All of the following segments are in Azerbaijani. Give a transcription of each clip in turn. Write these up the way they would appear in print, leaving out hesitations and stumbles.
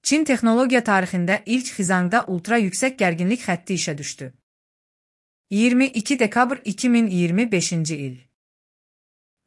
Çin texnologiya tarixində ilk Xizangda ultra yüksək gərginlik xətti işə düşdü. 22 dekabr 2025-ci il.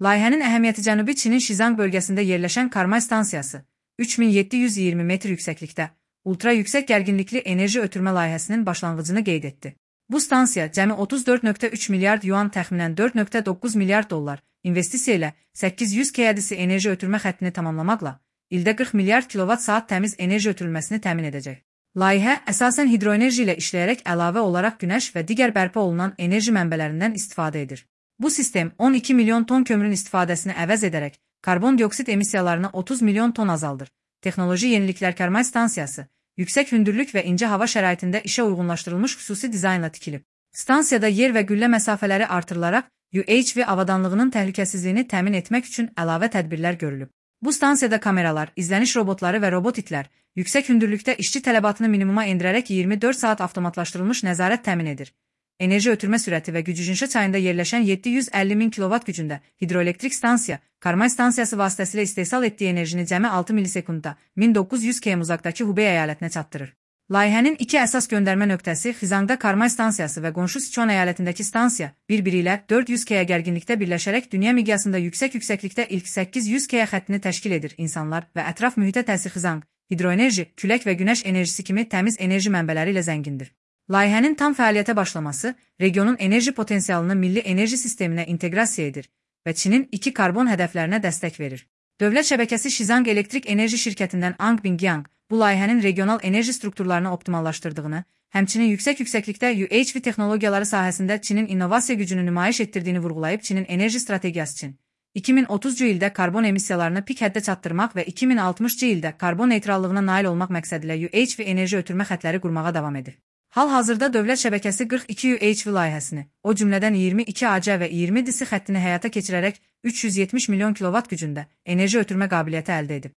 Layihənin əhəmiyyəti Cənubi Çinin Şizang bölgəsində yerləşən Karmay stansiyası, 3720 metr yüksəklikdə, ultra yüksək gərginlikli enerji ötürmə layihəsinin başlanğıcını qeyd etdi. Bu stansiya cəmi 34,3 milyard yuan təxminən 4,9 milyard dollar investisiya ilə 800 kVA enerji ötürmə xəttini tamamlamaqla, ildə 40 milyard kilovat-saat təmiz enerji ötürülməsini təmin edəcək. Layihə əsasən hidroenerji ilə işləyərək əlavə olaraq günəş və digər bərpa olunan enerji mənbələrindən istifadə edir. Bu sistem 12 milyon ton kömürün istifadəsini əvəz edərək karbon dioksid emissiyalarını 30 milyon ton azaldır. Texnoloji yeniliklər Karmay stansiyası, yüksək hündürlük və incə hava şəraitində işə uyğunlaşdırılmış xüsusi dizaynla tikilib. Stansiyada yer və güllə məsafələri artırılaraq UHV avadanlığının təhlükəsizliyini təmin etmək üçün əlavə tədbirlər görülüb. Bu stansiyada kameralar, izləniş robotları və robot itlər yüksək hündürlükdə işçi tələbatını minimuma endirərək 24 saat avtomatlaşdırılmış nəzarət təmin edir. Enerji ötürmə sürəti və Gücüjinşə çayında yerləşən 750 min kilovat gücündə hidroelektrik stansiya, Karmay stansiyası vasitəsilə istehsal etdiyi enerjini cəmi 6 milisekundda 1900 km uzaqdakı Hubey əyalətinə çatdırır. Layihənin iki əsas göndərmə nöqtəsi Xizangda Karmay stansiyası və qonşu Sichuan əyalətindəki stansiya bir-biri ilə 400 kV gərginlikdə birləşərək dünya miqyasında yüksəklikdə ilk 800 kV xəttini təşkil edir. İnsanlar və ətraf mühitə təsir Xizang, hidroenerji, külək və günəş enerjisi kimi təmiz enerji mənbələri ilə zəngindir. Layihənin tam fəaliyyətə başlaması regionun enerji potensialını milli enerji sisteminə inteqrasiya edir və Çinin 2 karbon hədəflərinə dəstək verir. Dövlət şəbəkəsi Şizang Elektrik Enerji şirkətindən Ang Bingyang bu layihənin regional enerji strukturlarını optimallaşdırdığını, həmçinin yüksəklikdə UHV texnologiyaları sahəsində Çinin innovasiya gücünü nümayiş etdirdiyini vurğulayıb Çinin enerji strategiyası üçün 2030-cu ildə karbon emissiyalarını pik həddə çatdırmaq və 2060-cı ildə karbon neytrallığına nail olmaq məqsədilə UHV enerji ötürmə xəttləri qurmağa davam edir. Hal-hazırda dövlət şəbəkəsi 42 UHV layihəsini, o cümlədən 22 AC və 20 DC xəttini həyata keçirərək 370 milyon kilovat gücündə enerji ötürmə qabiliyyəti əldə edib.